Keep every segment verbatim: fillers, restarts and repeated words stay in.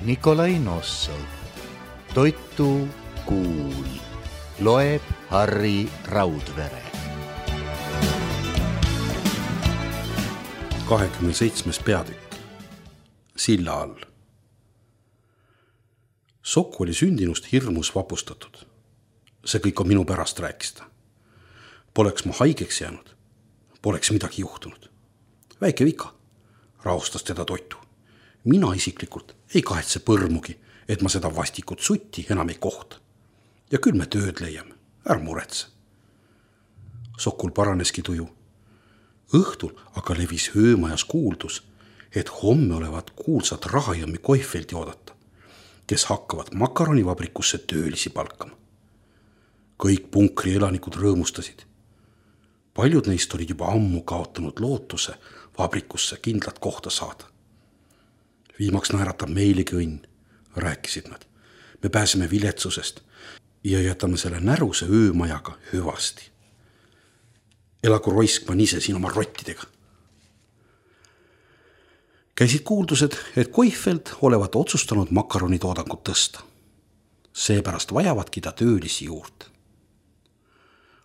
Nikolai Nossov. Toitu kuul. Loeb Harri Raudvere. kahekümne seitsmes peatükk. Silla all. Sokk oli sündinust hirmus vapustatud. See kõik on minu pärast, rääkis ta. Poleks ma haigeks jäänud, poleks midagi juhtunud. Väike vika, rahustas teda Toitu. Mina isiklikult ei kahetse põrmugi, et ma seda vastikut sutti enam ei kohta. Ja küll me tööd leiame, ära muretse. Sokul paraneski tuju. Õhtul aga levis öömajas kuuldus, et homme olevat kuulsad Rahajõmmi Koifeldi oodata, kes hakkavad makaronivabrikusse töölisi palkama. Kõik punkri elanikud rõõmustasid. Paljud neist olid juba ammu kaotanud lootuse vabrikusse kindlat kohta saada. Viimaks naeratab meilegi õnn, rääkisid nad. Me pääseme viletsusest ja jätame selle näruse öömajaga hüvasti. Elagu Roiskman ise siin oma rottidega. Käisid kuuldused, et Koifeld olevat otsustanud makaronitoodangut tõsta. Seepärast vajavadki ta töölisi juurde.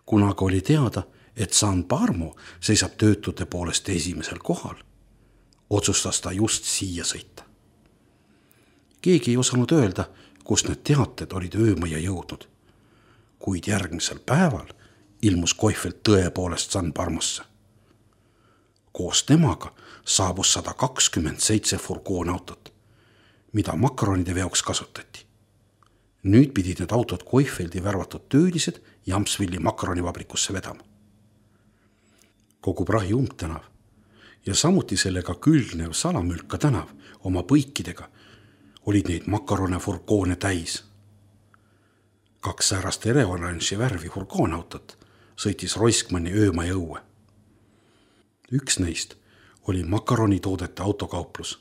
Kunaga oli teada, et San Parmo seisab töötute poolest esimesel kohal, otsustas ta just siia sõita. Keegi ei osanud öelda, kus need teated olid öömaja jõudnud, kuid järgmisel päeval ilmus Koifeld tõepoolest San Parmosse. Koos temaga saabus sada kakskümmend seitse furgoonautot, mida makaronide veoks kasutati. Nüüd pidid need autod Koifeldi värvatud töölised Jamsvilli makaronivabrikusse vedama. Kogu prahi umbtänav ja samuti sellega külgnev Salamülka tänav oma põikidega olid neid makarone furgoone täis. Kaks säärast ereoranži värvi furgoonautot sõitis Roiskmanni öömaja õue. Üks neist oli makaronitoodete autokauplus,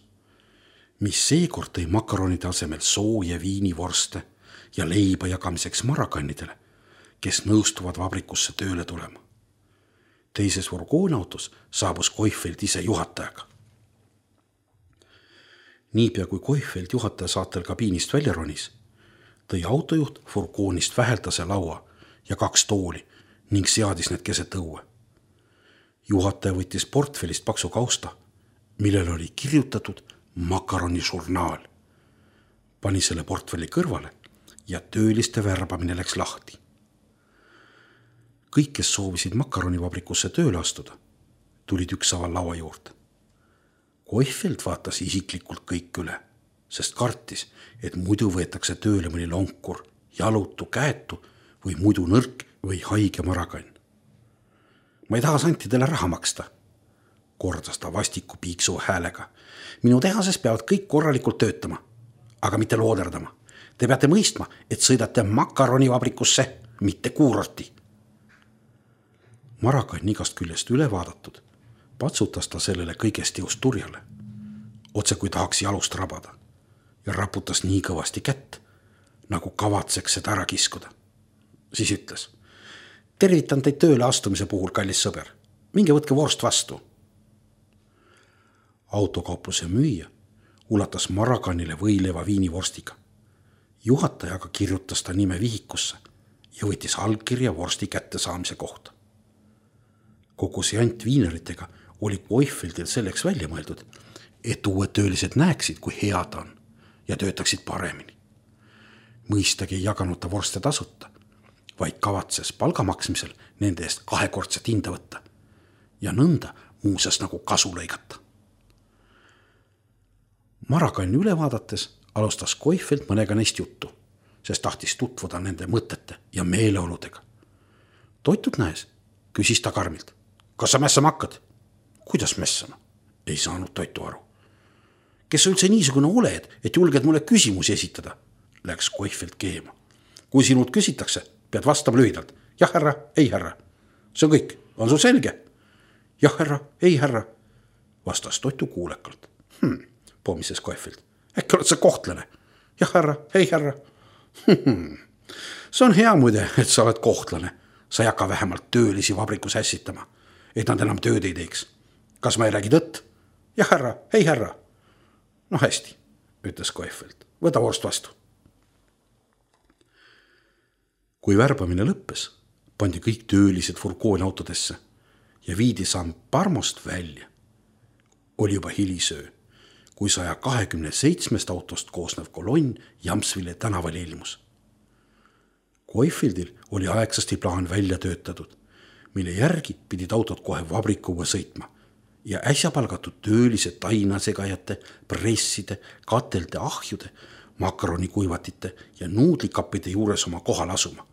mis seekord tõi makaronide asemel soo ja viinivorste ja leiba jagamiseks marakannidele, kes nõustuvad vabrikusse tööle tulema. Teises furgoonautos saabus Koifeld ise juhatajaga. Niipea kui Koifeld juhataja saatel kabiinist välja ronis, tõi autojuht furgoonist väheltase laua ja kaks tooli ning seadis need keset õue. Juhataja võttis portfellist paksu kausta, millel oli kirjutatud makaronižurnaal. Pani selle portfelli kõrvale ja tööliste värbamine läks lahti. Kõik, kes soovisid makaronivabrikusse tööle astuda, tulid üksaval laua juurde. Koifeld vaatas isiklikult kõik üle, sest kartis, et muidu võetakse tööle mõni lonkur, jalutu, käetu või muidu nõrk või haige marakann. Ma ei taha santidele raha maksta, kordas ta vastiku piiksu häälega. Minu tehases peavad kõik korralikult töötama, aga mitte looderdama. Te peate mõistma, et sõidate makaronivabrikusse, mitte kuurorti. Marakann igast küljest üle vaadatud, patsutas ta sellele kõigest jõust turjale, otse kui tahaks jalust rabada, ja raputas nii kõvasti kätt, nagu kavatseks seda ära kiskuda. Siis ütles, tervitan teid tööle astumise puhul, kallis sõber. Minge võtke vorst vastu. Autokaupluse müüja ulatas Marakannile võileva viinivorstiga. Juhatajaga kirjutas ta nime vihikusse ja võttis allkirja vorsti kätte saamise kohta. Kogu see jant viineritega oli Koifeldil selleks välja mõeldud, et uued töölised näeksid, kui hea ta on ja töötaksid paremini. Mõistagi ei jaganud ta vorste tasuta, vaid kavatses palgamaksmisel nende eest kahekordset hinda võtta ja nõnda muuseas nagu kasu lõigata. Marakanni üle vaadates alustas Koifeld mõnega neist juttu, sest tahtis tutvuda nende mõtete ja meeleoludega. Toitut näes, küsis ta karmilt. Kas sa mässama hakkad? Kuidas mässama? Ei saanud Toitu aru. Kes sa üldse niisugune oled, et julged mulle küsimusi esitada? Läks Koifeld keema. Kui sinult küsitakse, pead vastama lühidalt. Jah, härra, ei, härra. See on kõik. On sul selge? Jah, härra, ei, härra. Vastas Toitu kuulekalt. Hm, pomises Koifeld. Äkki oled sa kohtlane? Jah, härra, ei, härra. Hm, see on hea muide, et sa oled kohtlane. Sa ei hakka vähemalt töölisi vabrikus ässitama, et nad enam tööd ei teeks. Kas ma ei räägi tõtt? Jah, härra, ei, härra. No hästi, ütles Koifeld. Võta vorst vastu. Kui värbamine lõppes, pandi kõik töölised furgoonautodesse ja viidi San Parmost välja. Oli juba hilisöö, kui saja kahekümne seitsmest autost koosnev kolonn Jamsville tänaval ilmus. Koifeldil oli aegsasti plaan välja töötatud, mille järgi pidid autod kohe vabrikuga sõitma ja äsja palgatud töölised tainasegajate, presside, katelde, ahjude, makaronikuivatite ja nuudlikappide juures oma kohal asuma.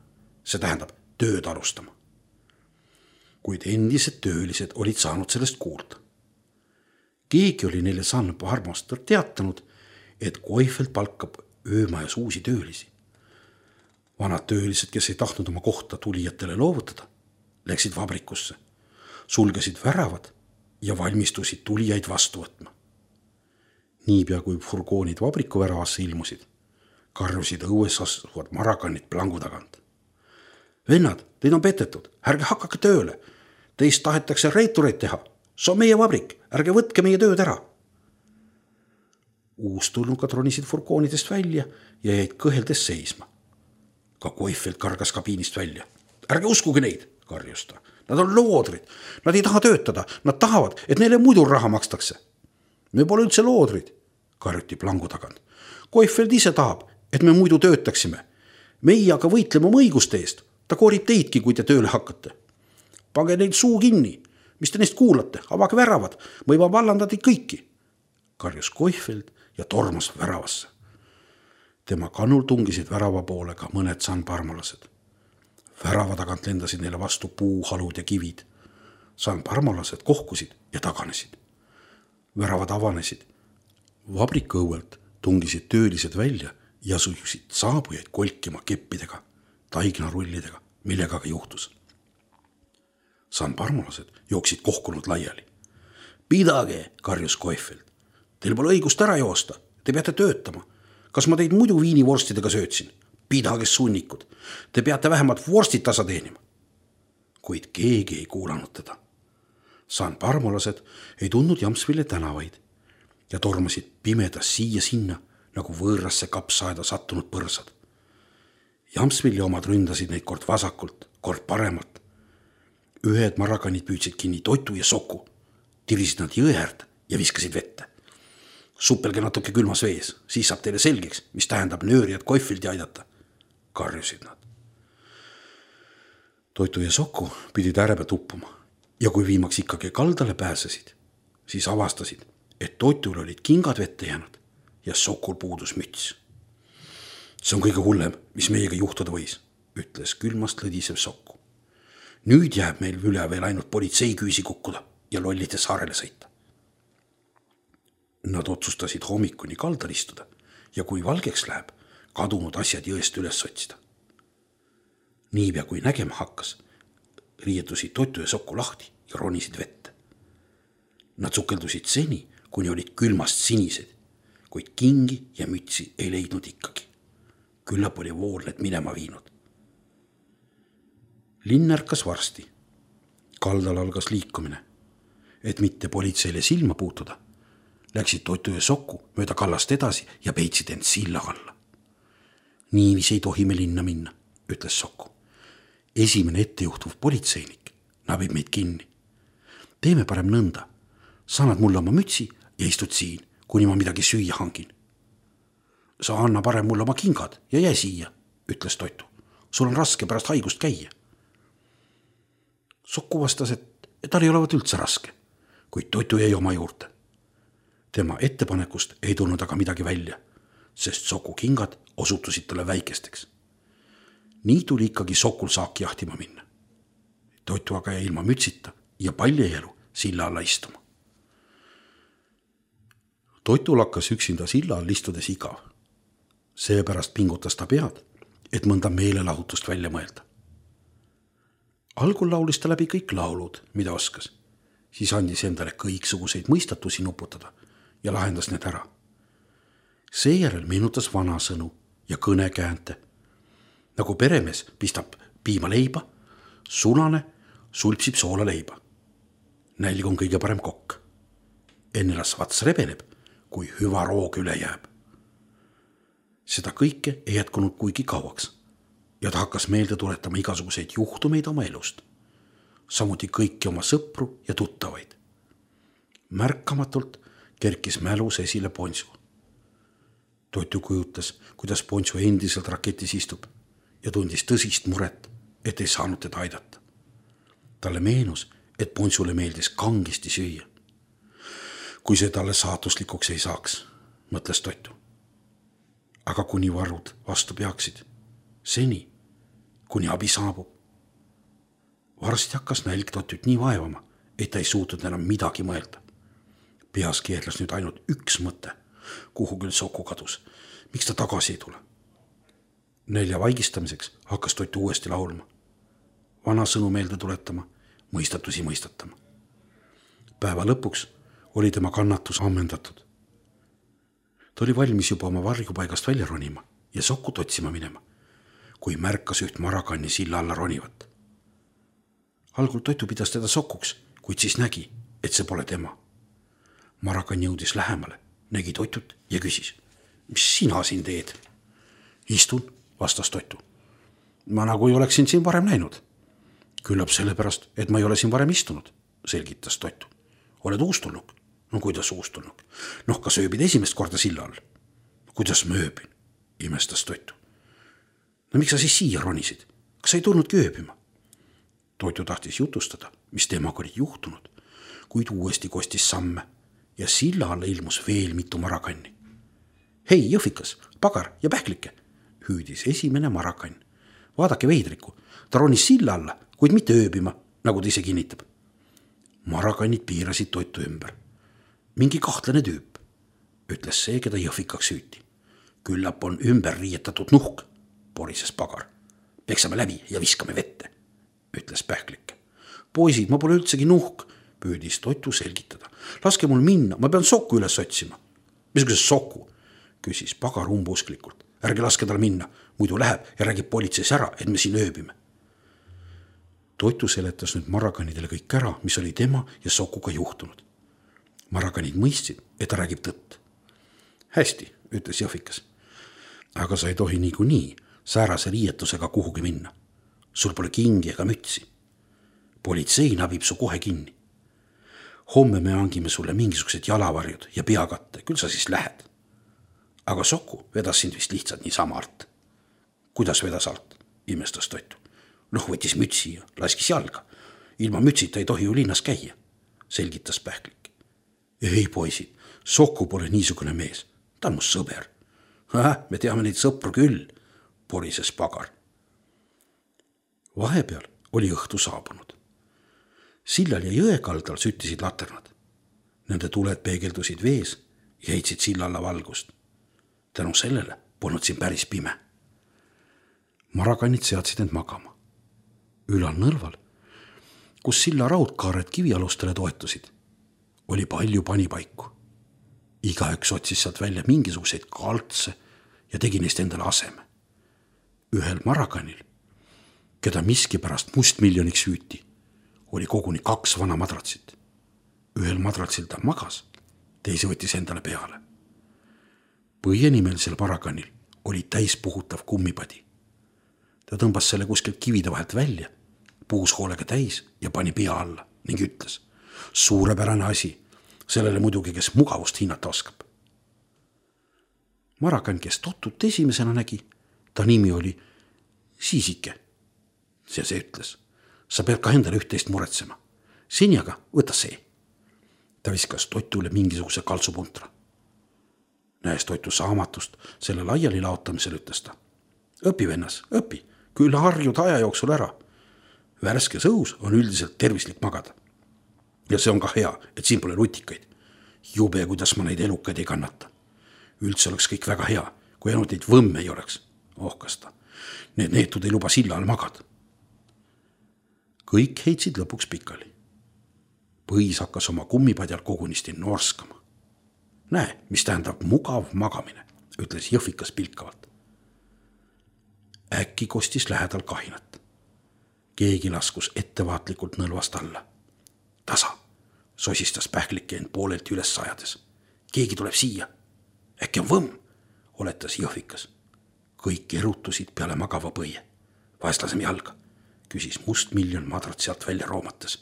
See tähendab tööd alustama. Kuid endised töölised olid saanud sellest kuulda. Keegi oli neile San Parmost teatanud, et Koifeld palkab öömajas uusi töölisi. Vanad töölised, kes ei tahtnud oma kohta tulijatele loovutada, läksid vabrikusse, sulgesid väravad ja valmistusid tulijaid vastu võtma. Niipea kui furgoonid vabriku väravasse ilmusid, karjusid õues asuvad marakanid plangu tagant. Vennad, teid on petetud, ärge hakake tööle. Teist tahetakse reitureid teha. See on meie vabrik, ärge võtke meie tööd ära. Uustulnukad ronisid furgoonidest välja ja jäid kõheldes seisma. Ka Koifeld kargas kabiinist välja. Ärge uskuge neid, karjus ta. Nad on loodrid. Nad ei taha töötada. Nad tahavad, et neile muidu raha makstakse. Me pole üldse loodrid, karjuti plangu tagant. Koifeld ise tahab, et me muidu töötaksime. Meie aga võitleme oma õiguste eest. Ta koorib teidki, kui te tööle hakkate. Pange neid suu kinni. Mis te neist kuulate? Avage väravad. Ma juba vallandati kõiki, karjus Koifeld ja tormas väravasse. Tema kannul tungisid värava poole ka mõned San Parmolased. Värava tagant lendasid neile vastu puuhalud ja kivid. San Parmolased kohkusid ja taganesid. Väravad avanesid. Vabriku õuelt tungisid töölised välja ja sujusid saabujaid kolkima keppidega, taignarullidega, millega ka juhtus. San Parmolased jooksid kohkunud laiali. Pidage, karjus Koifeld. Teil pole õigust ära joosta. Te peate töötama. Kas ma teid muidu viinivorstidega söötsin? Pidage sunnikud. Te peate vähemalt vorstid tasa teenima. Kuid keegi ei kuulanud teda. San Parmolased ei tundnud Jamsville tänavaid ja tormasid pimedas siia sinna nagu võõrasse kapsaeda sattunud põrsad. Jamsville omad ründasid neid kord vasakult, kord paremalt. Ühed marakanid püüdsid kinni Toitu ja Soku, tirisid nad jõe äärde ja viskasid vette. Suppelge natuke külmas vees, siis saab teile selgeks, mis tähendab nöörijad Koifeldi aidata, karjusid nad. Toitu ja Soku pidid ärebe tuppuma ja kui viimaks ikkagi kaldale pääsesid, siis avastasid, et Toitul olid kingad vette jäänud ja Sokul puudus müts. See on kõige hullem, mis meiega juhtuda võis, ütles külmast lõdisev Soku. Nüüd jääb meil üle veel ainult politsei küüsi kukkuda ja lollide saarele sõita. Nad otsustasid hommikuni kaldal istuda ja kui valgeks läheb, kadunud asjad jõest üles otsida. Niipea kui nägema hakkas, riietusid Toitu ja Soku lahti ja ronisid vette. Nad sukeldusid seni, kuni olid külmast sinised, kuid kingi ja mütsi ei leidnud ikkagi. Küllap oli vool need minema viinud. Linn ärkas varsti. Kaldal algas liikumine. Et mitte politseile silma puutuda, läksid Toitu ja Soku mööda kallast edasi ja peitsid end silla alla. Niivis ei tohi me linna minna, ütles Soku. Esimene ettejuhtuv politseinik nabib meid kinni. Teeme parem nõnda. Sa annad mulle oma mütsi ja istud siin, kuni ma midagi süüa hangin. Sa anna parem mulle oma kingad ja jää siia, ütles Toitu. Sul on raske pärast haigust käia. Soku vastas, et, et tal ei olevat üldse raske, kuid Toitu jäi oma juurde. Tema ettepanekust ei tulnud aga midagi välja, sest Soku kingad osutusid talle väikesteks. Nii tuli ikkagi Sokul saaki jahtima minna. Toitu aga jäi ilma mütsita ja paljejälu silla alla istuma. Toitul hakkas üksinda silla all istudes igav. Seepärast pingutas ta pead, et mõnda meelelahutust välja mõelda. Algul laulis ta läbi kõik laulud, mida oskas. Siis andis endale kõiksuguseid mõistatusi nuputada ja lahendas need ära. Seejärel meenutas vanasõnu ja kõnekäänte. Nagu peremees pistab piima leiba, sulane sulpsib soola leiba. Nälg on kõige parem kokk. Enne las vats rebeneb, kui hüva roog üle jääb. seda kõike ei jätkunud kuigi kauaks ja ta hakkas meelde tuletama igasuguseid juhtumeid oma elust, samuti kõiki oma sõpru ja tuttavaid. Märkamatult kerkis mälus esile Ponsu. Toitu kujutas, kuidas Ponsu endiselt raketis istub ja tundis tõsist muret, et ei saanud teda aidata. Talle meenus, et Ponsule meeldis kangesti süüa. Kui see talle saatuslikuks ei saaks, mõtles Toitu. Aga kuni varud vastu peaksid, seni, kuni abi saabub. Varsti hakkas nälg Toitut nii vaevama, et ta ei suutnud enam midagi mõelda. Peas keerles nüüd ainult üks mõte, kuhu küll Soku kadus, miks ta tagasi ei tule. Nälja vaigistamiseks hakkas Toitu uuesti laulma, vana sõnu meelde tuletama, mõistatusi mõistatama. Päeva lõpuks oli tema kannatus ammendatud. Ta oli valmis juba oma varjupaigast välja ronima ja Sokut otsima minema, kui märkas üht Marakanni silla alla ronivat. Algul Toitu pidas teda Sokuks, kuid siis nägi, et see pole tema. Marakan jõudis lähemale, nägi Toitut ja küsis, mis sina siin teed? Istun, vastas Toitu. Ma nagu ei oleksin siin varem näinud. Küllap sellepärast, et ma ei ole siin varem istunud, selgitas Toitu. Oled uustulnuk? No kuidas uustulnuk? Noh, kas ööbid esimest korda silla all? Kuidas ma ööbin? Imestas Toitu. No miks sa siis siia ronisid? Kas sa ei tulnudki ööbima? Toitu tahtis jutustada, mis temaga oli juhtunud, kuid uuesti kostis samme ja silla alla ilmus veel mitu Marakanni. Hei, jõhvikas, pagar ja pähklike, hüüdis esimene Marakann. Vaadake veidriku, ta ronis silla alla, kuid mitte ööbima, nagu ta ise kinnitab. Marakannid piirasid Toitu ümber. Mingi kahtlane tüüp, ütles see, keda jõhvikaks hüüti. Küllap on ümber riietatud nuhk, porises pagar. Peksame läbi ja viskame vette, ütles pähklik. Poisid, ma pole üldsegi nuhk, püüdis Toitu selgitada. Laske mul minna, ma pean Soku üles otsima. Missuguse Soku? Küsis pagar umbusklikult. Ärge laske tal minna, muidu läheb ja räägib politseis ära, et me siin ööbime. Toitu seletas nüüd Marakanidele kõik ära, mis oli tema ja Sokuga juhtunud. Marakanid mõistsid, et ta räägib tõtt. Hästi, ütles jõhvikas. Aga sa ei tohi niikuinii säärase riietusega kuhugi minna. Sul pole kingi ega mütsi. Politsei nabib su kohe kinni. Homme me hangime sulle mingisugused jalavarjud ja peakatte, küll sa siis lähed. Aga Soku vedas sind vist lihtsalt niisama alt. Kuidas vedas alt? Imestas Toitu. Noh, võttis mütsi ja laskis jalga. Ilma mütsita ei tohi ju linnas käia, selgitas pähklik. Ei poisid, Soku pole niisugune mees. Ta on mu sõber. Häh, me teame neid sõpru küll, porises pagar. Vahepeal oli õhtu saabunud. Sillal ja jõe kaldal süttisid laternad. Nende tuled peegeldusid vees ja heitsid silla alla valgust. Tänu sellele polnud siin päris pime. Marakannid seadsid end magama. Ülal nõlval, kus silla raudkaared kivialustele toetusid, oli palju panipaiku. Igaüks otsis sealt välja mingisuguseid kaltse ja tegi neist endale aseme. Ühel Marakanil, keda miski pärast mustmiljoniks hüüti, oli koguni kaks vana madratsit. Ühel madratsil ta magas, teise võttis endale peale. Põienimelisel Marakanil oli täispuhutav kummipadi. Ta tõmbas selle kuskilt kivide vahelt välja, puus hoolega täis ja pani pea alla ning ütles, suurepärane asi, sellele muidugi, kes mugavust hinnata oskab. Marakann, kes Totut esimesena nägi, ta nimi oli Siisike. See see ütles, sa pead ka endale üht-teist muretsema. Seni aga võta see. Ta viskas Totule mingisuguse kaltsupuntra. Näes Toitu saamatust selle laiali laotamisel, ütles ta. Õpi, vennas, õpi, küll harjud aja jooksul ära. Värskes õhus on üldiselt tervislik magada. Ja see on ka hea, et siin pole lutikaid. Jube, kuidas ma neid elukaid ei kannata. Üldse oleks kõik väga hea, kui ainult neid võmme ei oleks, ohkas ta. Need neetud ei luba silla all magada. Kõik heitsid lõpuks pikali. Põis hakkas oma kummipadjal kogunisti norskama. Näe, mis tähendab mugav magamine, ütles jõhvikas pilkavalt. Äkki kostis lähedal kahinat. Keegi laskus ettevaatlikult nõlvast alla. Tasa, sosistas pähklike end poolelt üles sajades. Keegi tuleb siia. Äkki on võmm, oletas jõhvikas. kõik erutusid peale magava põie. Vahest laseme jalga, küsis Must Miljon madrat sealt välja roomates.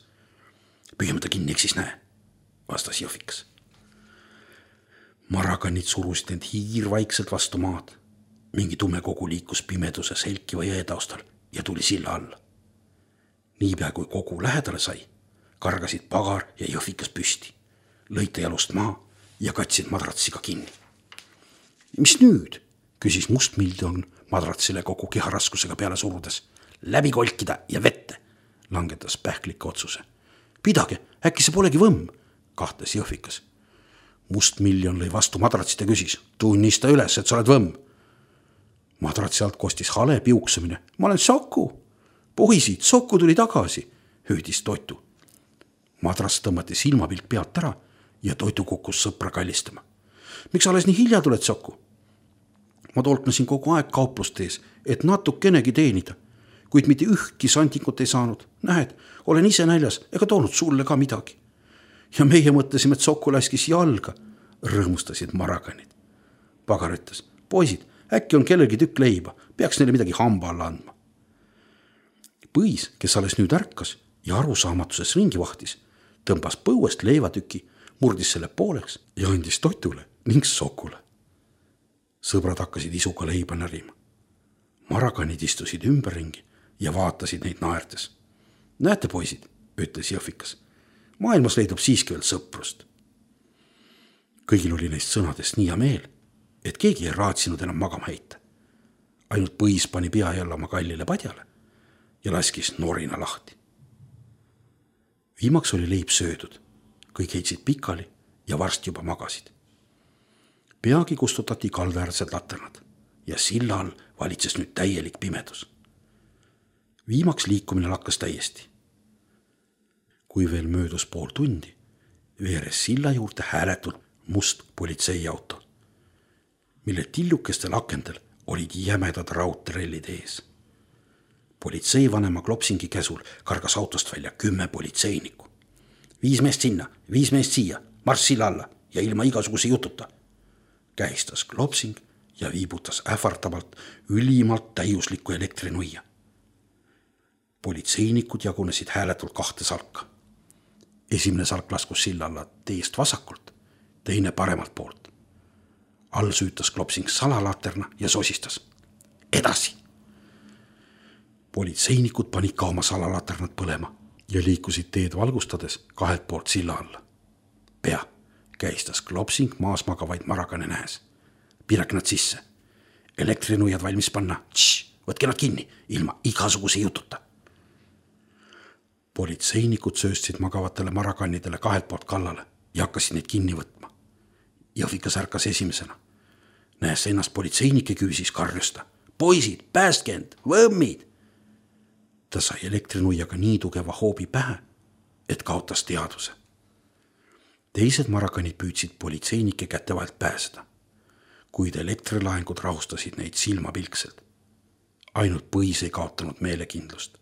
Püüame ta kinni, eks siis näe, vastas Jõhvikas. Marakanid surusid end hiirvaikselt vastu maad. Mingi tume kogu liikus pimeduse selkiva jõe taustal ja tuli silla alla. Niipea kui kogu lähedale sai, kargasid Pagar ja Jõhvikas püsti, lõite jalust maa ja katsid madratsiga kinni. Mis nüüd? Küsis Must Miljon madratsile kogu keharaskusega peale surudes. Läbi kolkida ja vette, langetas pähklike otsuse. Pidage, äkki see polegi võmm, kahtes Jõhvikas. Must Miljon lõi vastu madratsit ja küsis, tunnista üles, et sa oled võmm. Madratsi alt kostis hale piuksamine. Ma olen Soku. Poisid, Soku tuli tagasi, hüüdis Toitu. Madras tõmmati silmapilk pealt ära ja Toitu kukkus sõpra kallistama. Miks alles nii hilja tuled, Soku? Ma tolknasin kogu aeg kauplust ees, et natukenegi teenida, kuid mitte ühtki santikut ei saanud. Nähed, olen ise näljas ega toonud sulle ka midagi. Ja meie mõtlesime, et Soku laskis jalga, rõõmustasid Marakanid. Pagar ütles, poisid, äkki on kellelgi tükk leiba, peaks neile midagi hamba alla andma. Põis, kes alles nüüd ärkas ja arusaamatuses ringi vahtis, tõmbas põuest leivatüki, murdis selle pooleks ja andis Toitule ning Sokule. Sõbrad hakkasid isuga leiba närima. Marakanid istusid ümberringi ja vaatasid neid naertes. Näete, poisid, ütles Jõhvikas, maailmas leidub siiski veel sõprust. Kõigil oli neist sõnadest nii hea meel, et keegi ei raatsinud enam magama heita. Ainult Põis pani pea jälle oma kallile padjale ja laskis norina lahti. Viimaks oli leib söödud, kõik heitsid pikali ja varsti juba magasid. Peagi kustutati kaldaäärsed laternad ja silla all valitses nüüd täielik pimedus. Viimaks liikumine lakkas täiesti. Kui veel möödus pool tundi, veeres silla juurde hääletult must politseiauto, mille tillukestel akendel olid jämedad raudterellid ees. Politseivanema Klopsingi käsul kargas autost välja kümme politseinikku. Viis meest sinna, viis meest siia, marss silla alla ja ilma igasuguse jututa, kähistas Klopsing ja viibutas ähvardavalt ülimalt täiuslikku elektrinuia. Politseinikud jagunesid hääletult kahte salka. Esimene salk laskus silla alla teest vasakult, teine paremalt poolt. All süütas Klopsing salalaterna ja sosistas. Edasi! Politseinikud panid ka oma salalaternad põlema ja liikusid teed valgustades kahelt poolt silla alla. Pea, käistas Klopsing maas magavaid Marakane nähes. Pirak nad sisse. Elektrinuiad valmis panna. Tš, võtke nad kinni, ilma igasuguse jututa. Politseinikud sööstsid magavatele Marakanidele kahelt poolt kallale ja hakkasid neid kinni võtma. Jõhvikas ärkas esimesena. Näes ennast politseinike küüsis karjusta. Poisid, päästke end, võmmid! Ta sai elektrinuiaga nii tugeva hoobi pähe, et kaotas teadvuse. Teised Marakanid püüdsid politseinike kätte vahelt pääseda, kuid elektrilaengud rahustasid neid silmapilkselt. Ainult Põis ei kaotanud meelekindlust.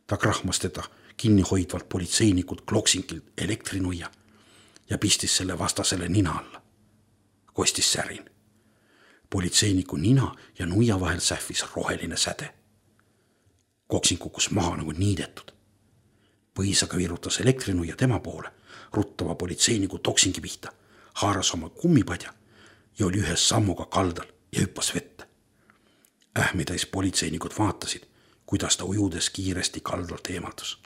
Ta krahmas teda kinni hoidvalt politseinikud Klopsingilt elektrinuia ja pistis selle vastasele nina alla. Kostis särin. Politseiniku nina ja nuia vahel sähvis roheline säde. Koksing kukkus maha nagu niidetud. Põis aga virutas elektrinuia tema poole, ruttava politseiniku Toksingi pihta, haaras oma kummipadja ja oli ühes sammuga kaldal ja hüppas vette. Ähmitäis politseinikud vaatasid, kuidas ta ujudes kiiresti kaldalt eemaldus.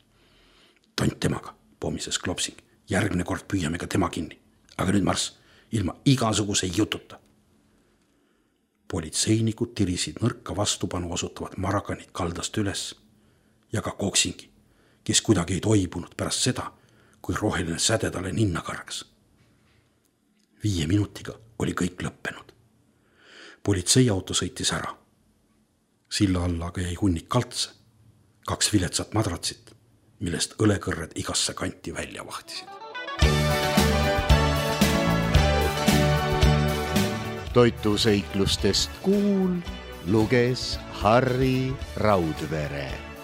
Tont temaga, pommises Klopsing. Järgmine kord püüame ka tema kinni. Aga nüüd marss, ilma igasuguse jututa. Politseinikud tirisid nõrka vastupanu osutavad Marakanid kaldast üles ja ka Koksingi, kes kuidagi ei toibunud pärast seda, kui roheline säde talle ninna kargas. Viie minutiga oli kõik lõppenud. Politseiauto sõitis ära. Silla alla aga jäi hunnik kaltse, kaks viletsat madratsit, millest õlekõrred igasse kanti välja vahtisid. Toitu seiklustest Kuul luges Harri Raudvere.